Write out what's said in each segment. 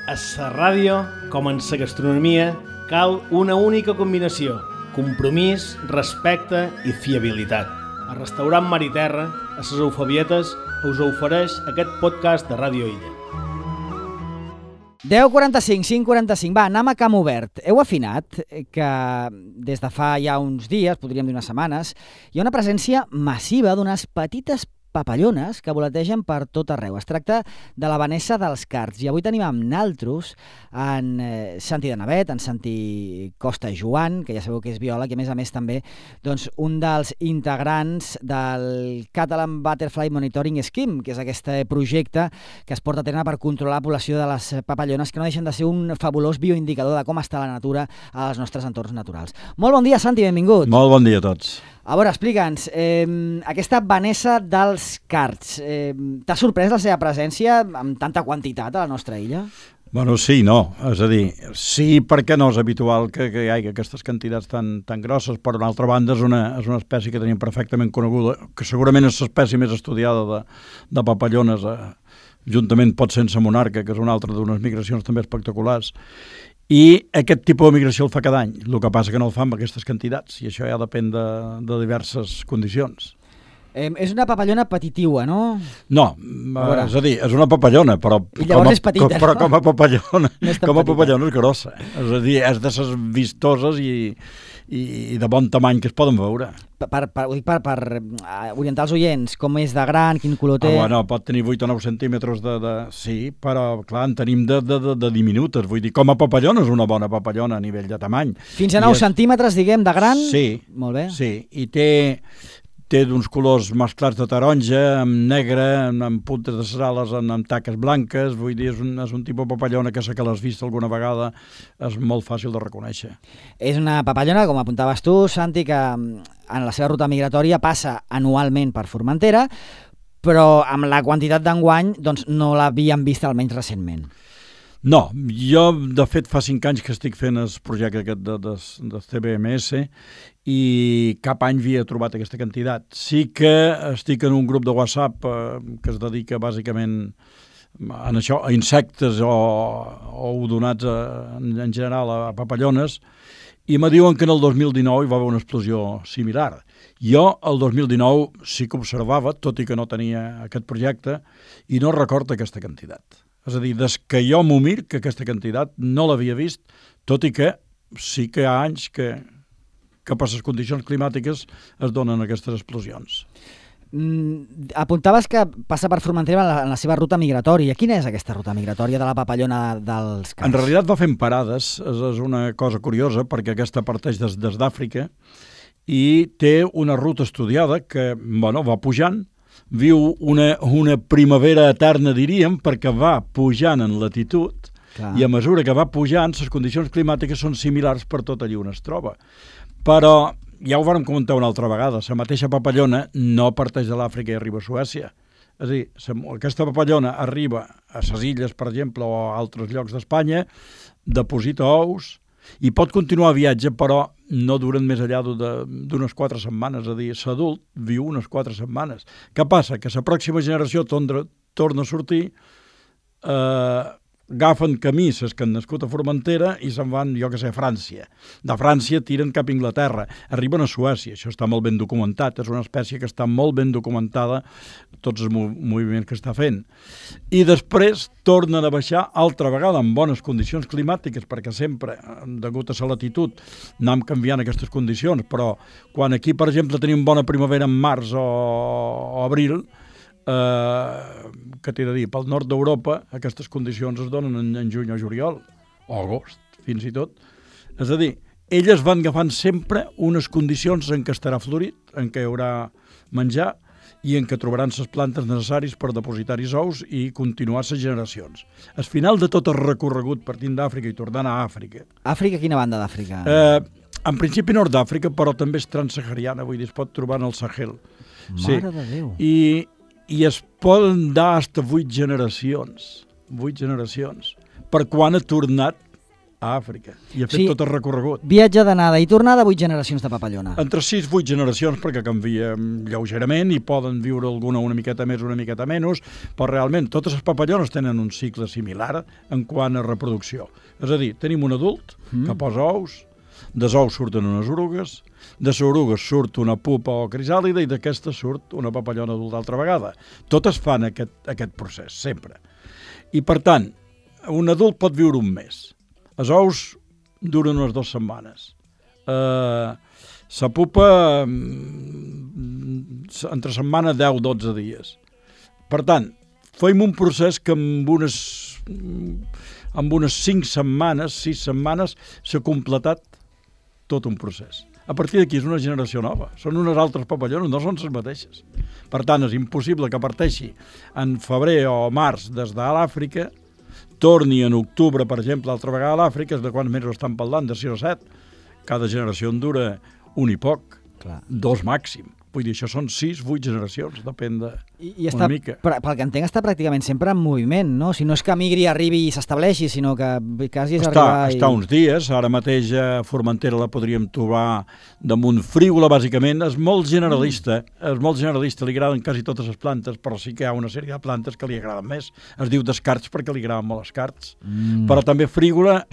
A la ràdio, com en la gastronomia, cal una única combinació: compromís, respecte i fiabilitat. El restaurant Mar i Terra, a les Eufabietes, us ofereix aquest podcast de Ràdio Illa. 10:45, 5:45, va, anem a camp obert. Heu afinat que des de fa ja uns dies, podríem dir unes setmanes, hi ha una presència massiva d'unes petites papallones que voletegen per tot arreu. Es tracta de la Vanessa dels Cards i avui tenim amb naltros en Santi de Navet, en Santi Costa Joan, que ja sabeu que és biòleg i a més també doncs, un dels integrants del Catalan Butterfly Monitoring Scheme, que és aquest projecte que es porta a terme per controlar la població de les papallones, que no deixen de ser un fabulós bioindicador de com està la natura als nostres entorns naturals. Molt bon dia, Santi, benvingut. Molt bon dia a tots. A veure, explica'ns, aquesta Vanessa dels Cards, t'ha sorprès la seva presència amb tanta quantitat a la nostra illa? Bueno, sí, no. És a dir, sí perquè no és habitual que hi hagi aquestes quantitats tan grosses, però d'altra banda és una espècie que tenim perfectament coneguda, que segurament és l'espècie més estudiada de papallones, juntament pot ser sense monarca, que és una altra d'unes migracions també espectaculars. I aquest tipus de migració el fa cada any, el que passa que no el fa amb aquestes quantitats, i això ja depèn de diverses condicions. És una papallona petitiua, no? No, és a dir, és una papallona, però és petita, però com a papallona, no és grossa. És a dir, és de ses vistoses i de bon tamany que es poden veure. Ho dic per orientar els oients, com és de gran, quin color té... Bueno, pot tenir 8 o 9 centímetres sí, però clar, en tenim de diminutes, vull dir, com a papallona és una bona papallona a nivell de tamany. Fins a 9 centímetres, diguem, de gran? Sí. Molt bé. Sí, i té d'uns colors mesclats de taronja, amb negre, amb puntes de les ales, amb taques blanques, vull dir, és un tipus de papallona que sé que l'has vist alguna vegada, és molt fàcil de reconèixer. És una papallona, com apuntaves tu, Santi, que en la seva ruta migratòria passa anualment per Formentera, però amb la quantitat d'enguany doncs, no l'havíem vist almenys recentment. No, jo de fet fa 5 anys que estic fent el projecte aquest de CBMS i cap any havia trobat aquesta quantitat. Sí que estic en un grup de WhatsApp que es dedica bàsicament a això, a insectes o odonats en general a papallones, i me diuen que en el 2019 hi va haver una explosió similar. Jo el 2019 sí que observava, tot i que no tenia aquest projecte, i no recordo aquesta quantitat. És a dir, des que jo m'ho mir, que aquesta quantitat no l'havia vist, tot i que sí que hi ha anys que per les condicions climàtiques es donen aquestes explosions. Apuntaves que passa per Formentera en la seva ruta migratòria. Quina és aquesta ruta migratòria de la papallona dels Cards? En realitat va fent parades, és una cosa curiosa, perquè aquesta parteix des d'Àfrica i té una ruta estudiada que va pujant, viu una primavera eterna, diríem, perquè va pujant en latitud. Clar. I a mesura que va pujant, les condicions climàtiques són similars per tot allí on es troba. Però ja ho vàrem comentar una altra vegada, la mateixa papallona no parteix de l'Àfrica i arriba a Suècia. És a dir, aquesta papallona arriba a les illes, per exemple, o a altres llocs d'Espanya, deposita ous i pot continuar el viatge, però no duren més enllà d'unes 4 setmanes. És a dir, l'adult viu unes 4 setmanes. Què passa? Que la pròxima generació torna a sortir, agafen camí les que han nascut a Formentera i se'n van, jo que sé, a França. De França tiren cap a Anglaterra, arriben a Suècia, això està molt ben documentat, és una espècie que està molt ben documentada, tots els moviments que està fent. I després tornen a baixar altra vegada en bones condicions climàtiques, perquè sempre, degut a la latitud, anem canviant aquestes condicions, però quan aquí, per exemple, tenim bona primavera en març o abril, que t'he de dir, pel nord d'Europa aquestes condicions es donen en juny o juliol o agost, fins i tot. És a dir, elles van agafant sempre unes condicions en què estarà florit, en què hi haurà menjar i en què trobaran les plantes necessàries per depositar-hi ous i continuar les generacions. Al final de tot el recorregut partint d'Àfrica i tornant a Àfrica. Àfrica, quina banda d'Àfrica? En principi nord d'Àfrica, però també és transsahariana, vull dir, es pot trobar en el Sahel. Mare de Déu! I es poden dar fins a 8 generacions, per quan ha tornat a Àfrica. I ha fet tot el recorregut. Viatge d'anada i tornada, 8 generacions de papallona. Entre 6 i 8 generacions, perquè canvia lleugerament i poden viure alguna una miqueta més, una miqueta menys, però realment totes les papallones tenen un cicle similar en quant a reproducció. És a dir, tenim un adult que posa ous, dels ous surten unes orugues, de les orugues surt una pupa o crisàlide i d'aquesta surt una papallona adulta altra vegada. Totes fan aquest procés, sempre. I per tant, un adult pot viure un mes. Els ous duren unes 2 setmanes. La pupa entre setmana 10-12 dies. Per tant, fem un procés que amb unes 5 setmanes, 6 setmanes, s'ha completat tot un procés. A partir d'aquí és una generació nova. Són unes altres papallones, no són les mateixes. Per tant, és impossible que parteixi en febrer o març des de l'Àfrica, torni en octubre, per exemple, altra vegada a l'Àfrica, és de quants mesos estan parlant, de 6 o 7. Cada generació en dura un i poc, 2 màxim. Vull dir, això són 6-8 generacions, depèn de una mica. Pel que entenc, està pràcticament sempre en moviment, no? Si no és que migri, arribi i s'estableixi, sinó que quasi és arribar... Està uns dies, ara mateix a Formentera la podríem trobar damunt frígola, bàsicament. És molt generalista, li agraden quasi totes les plantes, però sí que hi ha una sèrie de plantes que li agraden més. Es diu descarts perquè li agraden molt els carts. Però també frígola,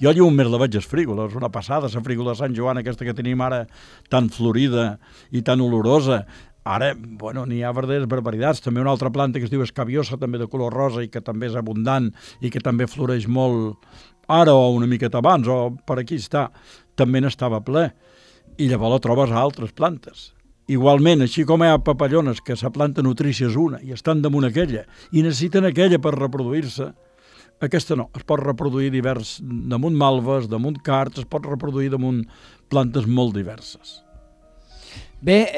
jo lleument la veig és frígola, és una passada, la frígola de Sant Joan, aquesta que tenim ara tan florida i tan olorosa. Ara, n'hi ha verdaderes barbaritats. També una altra planta que es diu escabiosa, també de color rosa i que també és abundant i que també floreix molt ara o una miqueta abans, o per aquí està, també n'estava ple. I llavors la trobes a altres plantes. Igualment, així com hi ha papallones que la planta nutrícia és una i estan damunt aquella i necessiten aquella per reproduir-se, aquesta no, es pot reproduir damunt malves, damunt cards, es pot reproduir damunt plantes molt diverses. Bé,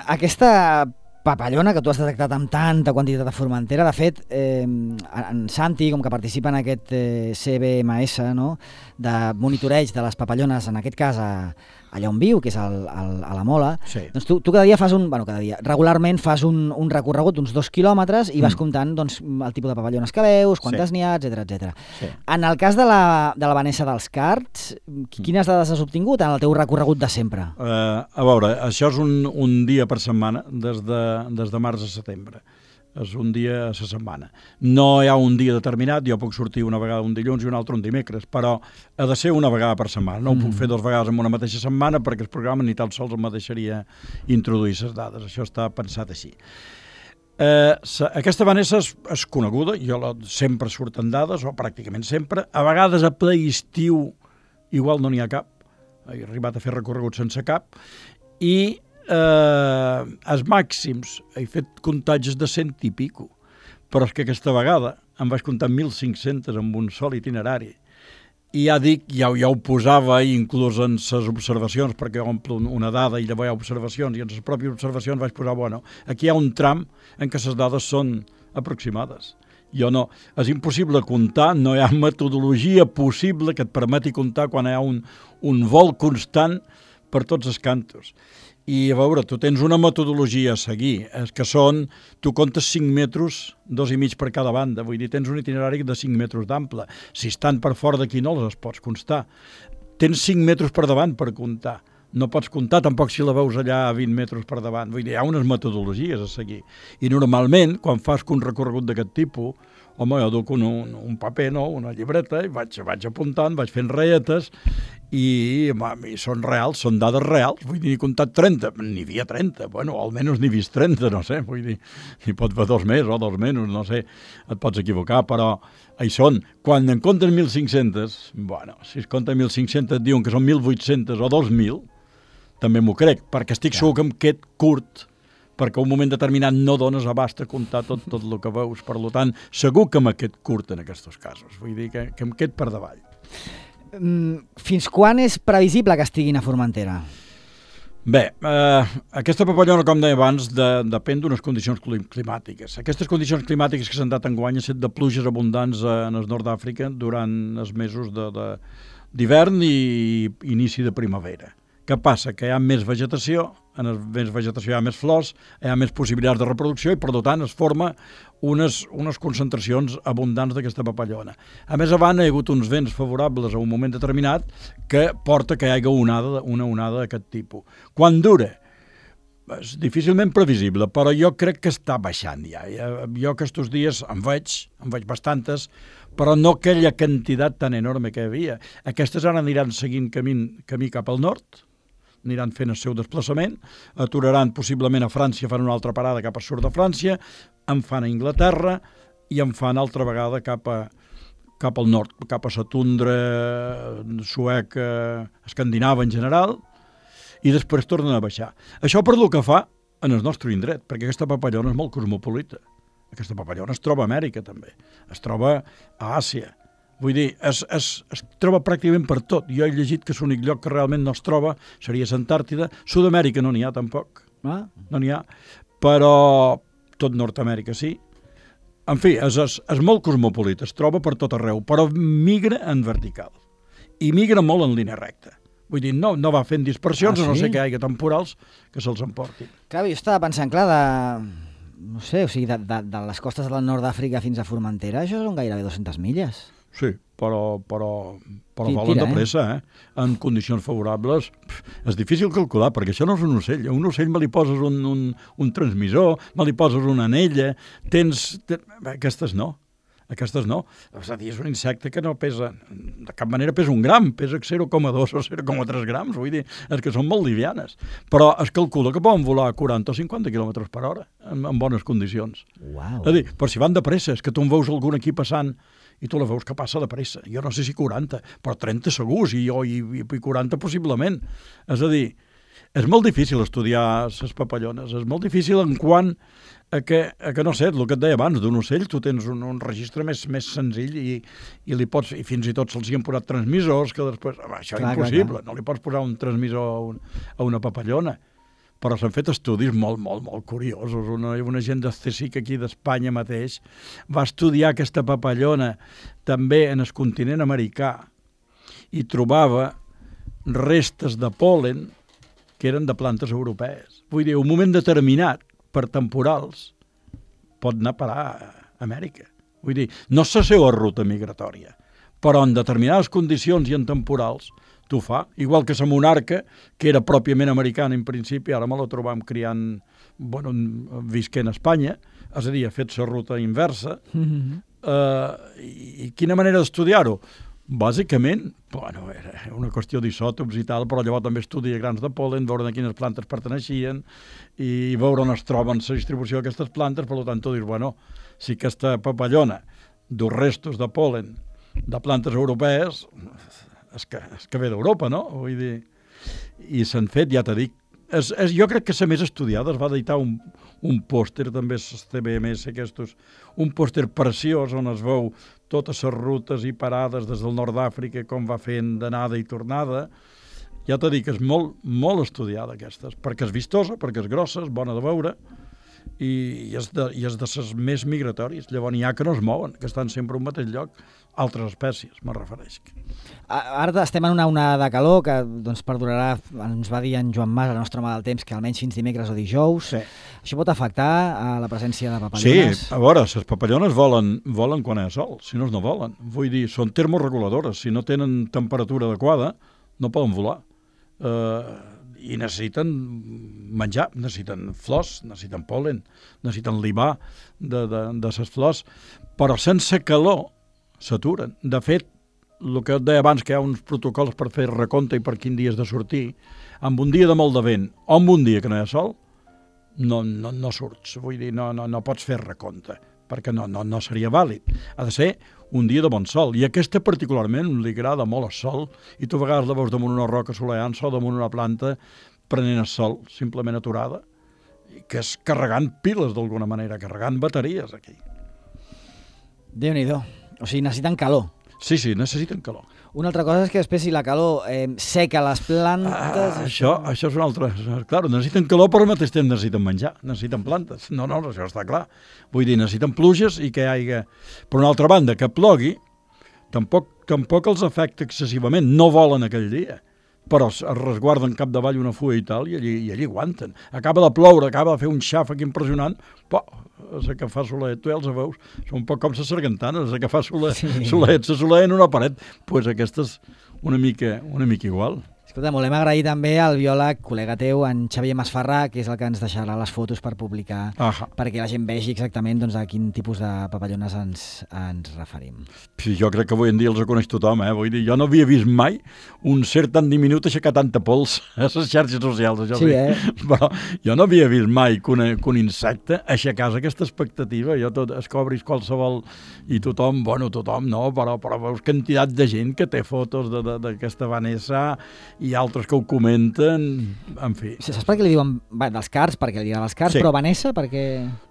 aquesta papallona que tu has detectat amb tanta quantitat de Formentera, de fet, en Santi, com que participa en aquest CBMS, no?, de monitoreig de les papallones, en aquest cas allà on viu, que és a la Mola, doncs tu cada dia fas regularment fas un recorregut d'uns 2 quilòmetres i vas comptant el tipus de papallones que veus, quantes n'hi ha, etc. En el cas de la Vanessa dels Cards, quines dades has obtingut en el teu recorregut de sempre? A veure, això és un dia per setmana, des de març a setembre. És un dia a la setmana. No hi ha un dia determinat, jo puc sortir una vegada un dilluns i un altre un dimecres, però ha de ser una vegada per setmana. No ho puc fer 2 vegades en una mateixa setmana perquè el programa ni tan sols em deixaria introduir les dades. Això està pensat així. Aquesta Vanessa és coneguda, sempre surten dades, o pràcticament sempre. A vegades a ple estiu igual no n'hi ha cap. He arribat a fer recorregut sense cap. I els màxims, he fet comptatges de 100 i pico, però és que aquesta vegada em vaig comptar 1.500 amb un sol itinerari. I ja dic, ja ho posava inclús en les observacions, perquè omplo una dada i llavors hi ha observacions, i en les pròpies observacions vaig posar, aquí hi ha un tram en què les dades són aproximades. És impossible comptar, no hi ha metodologia possible que et permeti comptar quan hi ha un vol constant per tots els cantos. I a veure, tu tens una metodologia a seguir, que són, tu comptes 5 metres, 2,5 per cada banda, vull dir, tens un itinerari de 5 metres d'ample. Si estan per fora d'aquí no les pots constar. Tens 5 metres per davant per comptar. No pots comptar tampoc si la veus allà a 20 metres per davant. Vull dir, hi ha unes metodologies a seguir. I normalment, quan fas un recorregut d'aquest tipus, jo duc un paper, una llibreta, i vaig apuntant, vaig fent ratlletes, i són reals, són dades reals. Vull dir, he comptat 30, n'hi havia 30, almenys n'he vist 30, no sé, vull dir, n'hi pot haver 2 més o 2 menys, no sé, et pots equivocar, però hi són. Quan en compten 1.500, si es compten 1.500 et diuen que són 1.800 o 2.000, també m'ho crec, perquè estic segur que em qued curt, perquè un moment determinat no dones abast a comptar tot el que veus. Per tant, segur que me qued curt en aquests casos. Vull dir que em qued per davall. Fins quan és previsible que estiguin a Formentera? Bé, aquesta papallona, com deia abans, depèn d'unes condicions climàtiques. Aquestes condicions climàtiques que s'han dat enguany han estat de pluges abundants en el nord d'Àfrica durant els mesos d'hivern i inici de primavera, Què passa? Que hi ha més vegetació, en més vegetació hi ha més flors, hi ha més possibilitats de reproducció i, per tant, es forma unes concentracions abundants d'aquesta papallona. A més, abans hi ha hagut uns vents favorables a un moment determinat que porta que hi hagi una onada d'aquest tipus. Quan dura? És difícilment previsible, però jo crec que està baixant ja. Jo aquests dies en veig bastantes, però no aquella quantitat tan enorme que hi havia. Aquestes ara aniran seguint camí cap al nord, aniran fent el seu desplaçament, aturaran possiblement a França, fan una altra parada cap al sud de França, en fan a Anglaterra i en fan altra vegada cap al nord, cap a la tundra sueca, escandinava en general, i després tornen a baixar. Això per el que fa en el nostre indret, perquè aquesta papallona és molt cosmopolita. Aquesta papallona es troba a Amèrica, també. Es troba a Àsia. Vull dir, es troba pràcticament per tot. Jo he llegit que l'únic lloc que realment no es troba seria l'Antàrtida. Sud-amèrica no n'hi ha, tampoc. No n'hi ha. Però tot Nord-amèrica sí. En fi, és molt cosmopolita, es troba per tot arreu, però migra en vertical. I migra molt en línia recta. Vull dir, no va fent dispersions, a no ser que hi hagi temporals que se'ls emportin. Clar, jo estava pensant, clar, no sé, o sigui, de les costes del nord d'Àfrica fins a Formentera, això són gairebé 200 milles. Sí, però volen de pressa, en condicions favorables. És difícil calcular, perquè això no és un ocell. A un ocell me li poses un transmissor, me li poses una anella, aquestes no. Aquestes no. És a dir, és un insecte que no pesa, de cap manera pesa 1 gram, pesa 0,2 o 0,3 grams, vull dir, és que són molt livianes. Però es calcula que poden volar a 40 o 50 km per hora, en bones condicions. Uau. És a dir, però si van de pressa, és que tu en veus algun aquí passant i tu la veus que passa de pressa. Jo no sé si 40, però 30 segurs, i 40 possiblement. És a dir, és molt difícil estudiar les papallones, és molt difícil en quant a que no sé, el que et deia abans, d'un ocell tu tens un registre més senzill i li pots, i fins i tot se'ls hi han posat transmissors que després, això és impossible, no li pots posar un transmissor a una papallona. Però s'han fet estudis molt, molt, molt curiosos. Una gent del CSIC aquí d'Espanya mateix va estudiar aquesta papallona també en el continent americà i trobava restes de pol·len que eren de plantes europees. Vull dir, un moment determinat, per temporals, pot anar a parar a Amèrica. Vull dir, no és la seva ruta migratòria, però en determinades condicions i en temporals t'ho fa. Igual que la monarca, que era pròpiament americana en principi, ara me la trobam criant, visquent a Espanya, és a dir, ha fet la ruta inversa. I quina manera d'estudiar-ho? Bàsicament, era una qüestió d'isòtops i tal, però llavors també estudia grans de pol·len, veure a quines plantes perteneixien i veure on es troben la distribució d'aquestes plantes. Per tant, tu dius, si aquesta papallona du restos de pol·len de plantes europees, és que ve d'Europa, no? Vull dir, i s'han fet, ja t'he dit, jo crec que la més estudiada. Es va editar un pòster, també els CBMS aquests, un pòster preciós on es veu totes les rutes i parades des del nord d'Àfrica, com va fent d'anada i tornada. Ja t'he dit que és molt, molt estudiada aquestes, perquè és vistosa, perquè és grossa, és bona de veure, i és de les més migratòries. Llavors n'hi ha que no es mouen, que estan sempre a un mateix lloc, altres espècies, me refereix. Ara estem en una onada de calor que perdurarà, ens va dir en Joan Mas, el nostre home del temps, que almenys fins dimecres o dijous. Sí. Això pot afectar a la presència de papallones? Sí, a veure, les papallones volen quan hi ha sol, si no volen. Vull dir, són termoreguladores, si no tenen temperatura adequada, no poden volar. I necessiten menjar, necessiten flors, necessiten pol·len, necessiten libar de les flors, però sense calor s'aturen. De fet, el que et deia abans, que hi ha uns protocols per fer recompte i per quin dia has de sortir, amb un dia de molt de vent o amb un dia que no hi ha sol, no surts. Vull dir, no pots fer recompte, perquè no seria vàlid. Ha de ser un dia de bon sol. I aquesta particularment li agrada molt el sol, i tu a vegades la veus damunt una roca solejant-se o damunt una planta prenent el sol, simplement aturada, que és carregant piles d'alguna manera, carregant bateries aquí. Déu-n'hi-do. O sigui, necessiten calor. Sí, necessiten calor. Una altra cosa és que després si la calor seca les plantes... Això és una altra... Clar, necessiten calor, però al mateix temps necessiten menjar, necessiten plantes. No, això està clar. Vull dir, necessiten pluges i que hi hagi... Per una altra banda, que plogui, tampoc els afecta excessivament. No volen aquell dia. però es resguarden capdavall una fulla i tal, i allí aguanten. Acaba de ploure, acaba de fer un xàfec impressionant, però és que fa solet, tu ja els veus, són un poc com les sargantanes, és que fa solet, se soleien una paret, doncs aquestes una mica igual. Escolta, volem agrair també al biòleg, col·lega teu, en Xavier Masferrà, que és el que ens deixarà les fotos per publicar, perquè la gent vegi exactament doncs, a quin tipus de papallones ens referim. Sí, jo crec que avui en dia els coneix tothom, Vull dir, jo no havia vist mai un ser tan diminut aixecar tanta pols a les xarxes socials, això sí. Però jo no havia vist mai que un insecte aixecàs aquesta expectativa, es cobris qualsevol i tothom no, però veus quantitat de gent que té fotos d'aquesta Vanessa i altres que ho comenten, en fi. Saps per què li diuen dels cards? Perquè li diuen els cards, però Vanessa, perquè...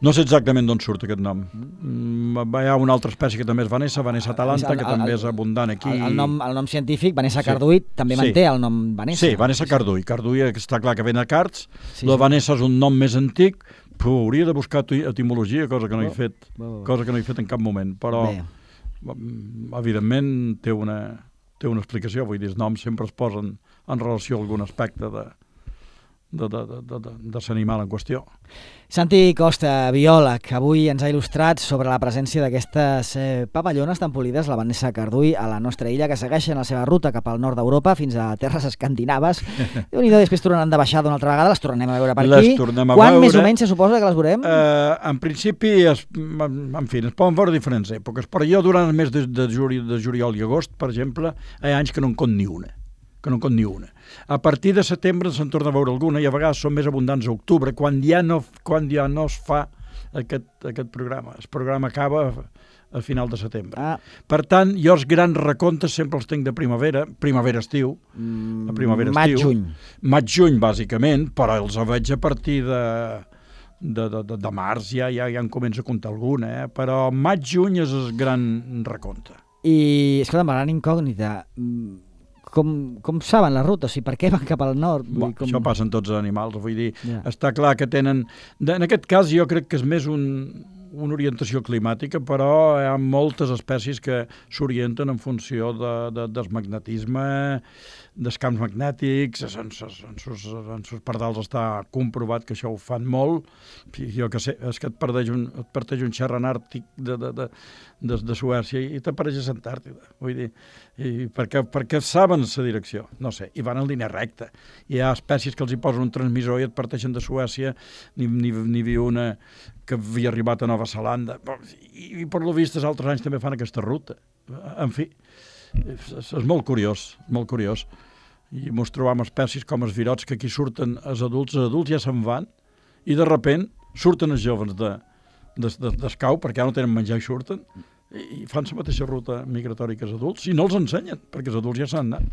No sé exactament d'on surt aquest nom. Hi ha una altra espècie que també és Vanessa Atalanta, que també és abundant aquí. El nom científic, Vanessa carduí, també manté el nom Vanessa. Sí, Vanessa carduí. Carduí està clar que ve de cards. La Vanessa és un nom més antic, però hauria de buscar etimologia, cosa que no he fet en cap moment. Però, evidentment, té una explicació. Vull dir, els noms sempre es posen en relació a algun aspecte de l'animal en qüestió. Santi Costa, biòleg, avui ens ha il·lustrat sobre la presència d'aquestes papallones tan polides, la Vanessa carduí, a la nostra illa, que segueixen la seva ruta cap al nord d'Europa fins a terres escandinaves. Déu-n'hi-do, després tornaran de baixada una altra vegada, les tornem a veure per aquí. Quan més o menys se suposa que les veurem? En principi, en fi, es poden veure diferents èpoques, però jo durant el mes de juliol i agost, per exemple, hi ha anys que no en compte ni una. A partir de setembre se'n torna a veure alguna i a vegades són més abundants a octubre, quan ja no es fa aquest programa. El programa acaba a final de setembre. Per tant, jo els grans recomptes sempre els tinc de primavera-estiu. Maig-juny. Maig-juny, bàsicament, però els veig a partir de març, ja en començo a comptar alguna, però maig-juny és el gran recompte. I, escolta, amb la gran incògnita, com saben la ruta? O sigui, per què van cap al nord? Això passa en tots els animals, vull dir, està clar que tenen... En aquest cas jo crec que és més una orientació climàtica, però hi ha moltes espècies que s'orienten en funció del magnetisme, dels camps magnètics, en sus pardals està comprovat que això ho fan molt. Jo que sé, és que et parteix un xerran àrtic de Suècia i t'apareix a l'Antàrtida. Vull dir, perquè saben la direcció, no sé, i van en línia recta. Hi ha espècies que els hi posen un transmissor i et parteixen de Suècia, n'hi havia una que havia arribat a Nova Zelanda, i per lo vist els altres anys també fan aquesta ruta. En fi, és molt curiós, molt curiós. I ens trobam espècies com els virots que aquí surten els adults ja se'n van i de repent surten els joves d'escau perquè ja no tenen menjar i surten i fan la mateixa ruta migratòria que els adults i no els ensenyen perquè els adults ja s'han anat.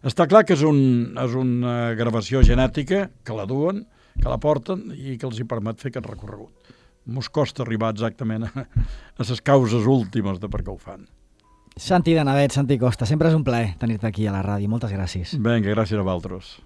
Està clar que és una gravació genètica que la duen, que la porten i que els hi permet fer aquest recorregut. Mos costa arribar exactament a les causes últimes de per què ho fan. Santi de Navet, Santi Costa, sempre és un plaer tenir-te aquí a la ràdio. Moltes gràcies. Vinga, gràcies a vosaltres.